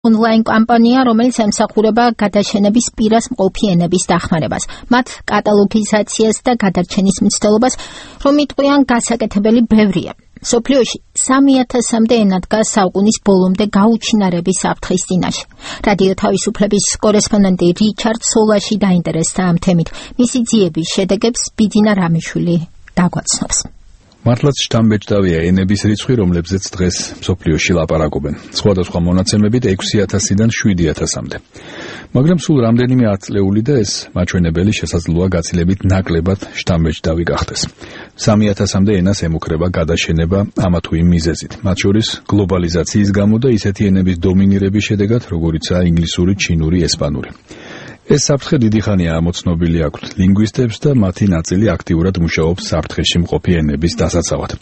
ონლაინ კამპანია, რომელიც ემსახურება გადაშენების პირას მყოფი ენების დახმარებას, მათ კატალოგიზაციას და გადარჩენის მცდელობას, რომ იტყვიან გასაკეთებელი ბევრია. სოფლიოში 3000-მდე ენა დგას საუკუნის ბოლომდე გაუჩინარების საფრთხის წინაშე. რადიო თავისუფლების კორესპონდენტი რიჩარდ სოლაში დაინტერესდა ამ თემით. მისი ძიების შედეგებს ბიძინა რამიშვილი დაგვაცნობს. მართლაც შთამბეჭდავია ენების რიცხვი, რომლებზეც დღეს მსოფლიოში ლაპარაკობენ. სხვადასხვა მონაცემებით 6000-დან 7000-მდე. მაგრამ სულ რამდენიმე ათწლეული და ეს მაჩვენებელი შესაძლოა გაცილებით ნაკლებად შთამბეჭდავი გახდეს. 3000-მდე ენას ემუქრება გადაშენება ამა თუ იმ მიზეზით, მათ შორის გლობალიზაციის გამო და ისეთი ენების დომინირების შედეგად, როგორიცაა ინგლისური, ჩინური, ესპანური. ეს საფრთხე დიდი ხანია ამოცნობილი აქვთ ლინგვისტებს და მათი ნაწილი აქტიურად მუშაობს საფრთხეში მყოფი ენების დასაცავად.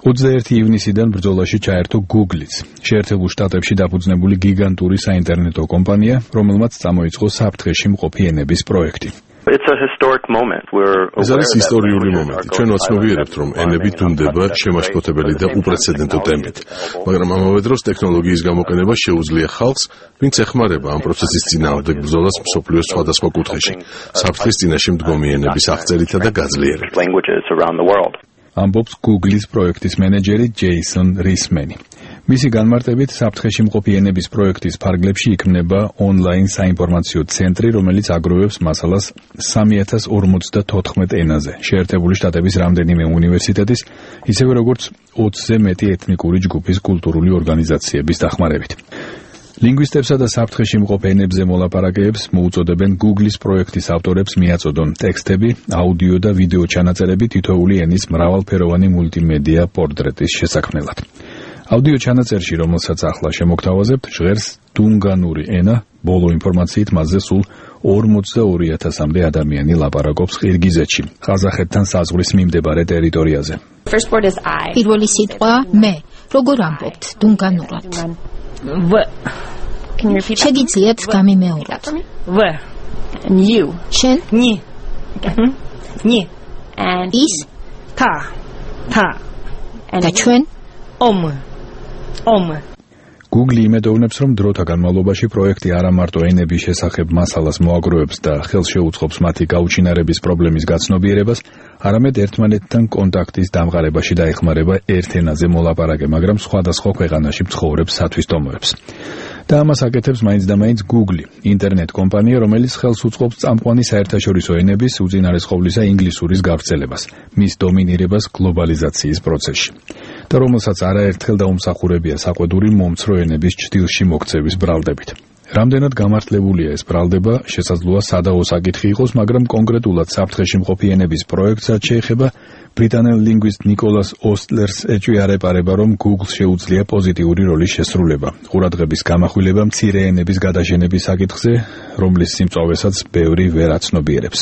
21 ივნისიდან ბრძოლაში ჩაერთო Google-იც, შეერთებულ შტატებში დაფუძნებული გიგანტური საინტერნეტო კომპანია, რომელმაც წამოიწყო საფრთხეში მყოფი ენების პროექტი. ეს არის ისტორიული მომენტი. ჩვენ ვაცნობიერებთ, რომ ენები დუმდება შემაშფოთებელი და უპრეცედენტო ტემპით, მაგრამ ამავე დროს ტექნოლოგიის გამოყენება შეუძლია ხალხს, ვინც ეხმარება ამ პროცესის წინააღმდეგ ბრძოლას მსოფლიოს სხვადასხვა კუთხეში, საფრთხის წინაშე მდგომი ენების აღწერითა და გაძლიერებით. ამბობს Google-ის პროექტის მენეჯერი ჯეისონ რისმენი. მისი განმარტებით, საფრთხეში მყოფი ენების პროექტის ფარგლებში იქმნება ონლაინ საინფორმაციო ცენტრი, რომელიც აგროვებს მასალას 3054 ენაზე, შეერთებული შტატების რამდენიმე უნივერსიტეტის, ისევე როგორც 20-ზე მეტი ეთნიკური ჯგუფის კულტურული ორგანიზაციების დახმარებით. ლინგვისტებსა და საფრთხეში მყოფ ენებზე მოლაპარაკეებს მოუწოდებენ Google-ის პროექტის ავტორებს მიაწოდონ ტექსტები, აუდიო და ვიდეო ჩანაწერები თითოეული ენის მრავალფეროვანი მულტიმედია პორტრეტის შესაქმნელად. აუდიო ჩანაწერში, რომელსაც ახლა შემოგთავაზებთ, ჟღერს დუნგანური ენა, ბოლო ინფორმაციით მასზე სულ 42000-მდე ადამიანი ლაპარაკობს ყირგიზეთში, ყაზახეთთან საზღვრის მიმდებარე ტერიტორიაზე. პირველი სიტყვა მე, როგორ ამბობთ დუნგანურად? შეგიძლიათ გამიმეოროთ? შენ? ის? და ჩვენ? Google იმედოვნებს, რომ დროთა განმავლობაში პროექტი არა მარტო ენების შესახებ მასალას მოაგროვებს და ხელს შეუწყობს მათი გაუჩინარების პრობლემის გაცნობიერებას, არამედ ერთმანეთთან კონტაქტის დამყარებაში დაეხმარება ერთ ენაზე მოლაპარაკე, მაგრამ სხვადასხვა ქვეყანაში მცხოვრებ სათვისტომოებს. და ამას აკეთებს მაინც და მაინც Google, ინტერნეტ კომპანია, რომელიც ხელს უწყობს წამყვანი საერთაშორისო ენების, უწინარეს ყოვლისა ინგლისურის გავრცელებას, მის დომინირებას გლობალიზაციის პროცესში. და რომელსაც არაერთხელ დაუმსახურებია საყვედური მომცრო ენების ჭრილში მოქცევის ბრალდებით. რამდენად გამართლებულია ეს ბრალდება, შესაძლოა სადაო საკითხი იყოს, მაგრამ კონკრეტულად საფრთხეში მყოფი ენების პროექტსაც შეეხება ბრიტანელ ლინგვისტ ნიკოლას ოსტლერს ეჭვიარეპარება, რომ Google შეუძლია პოზიტიური როლის შესრულება, ყურადღების გამახვილება მცირე ენების გადაშენების საკითხზე, რომლის სიმწვავესაც ბევრი ვერ აცნობიერებს.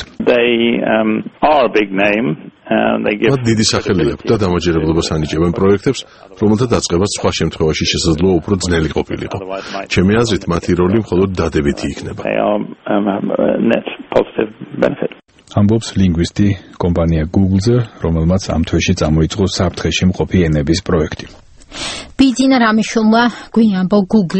მათ დიდი სახელი აქვს და დამაჯერებლობას ანიჭებენ პროექტებს, რომელთა დაწყებაც სხვა შემთხვევაში შესაძლოა უფრო ძნელი ყოფილიყო. ჩემი აზრით, მათი როლი მხოლოდ დადებითი იქნება. ამბობს ლინგვისტი კომპანია Google-ზე, რომელმაც ამ თვეში წამოიწყო საფრთხეში მყოფი ენების პროექტი. ბიძინა რამიშვილმა გვიამბო Google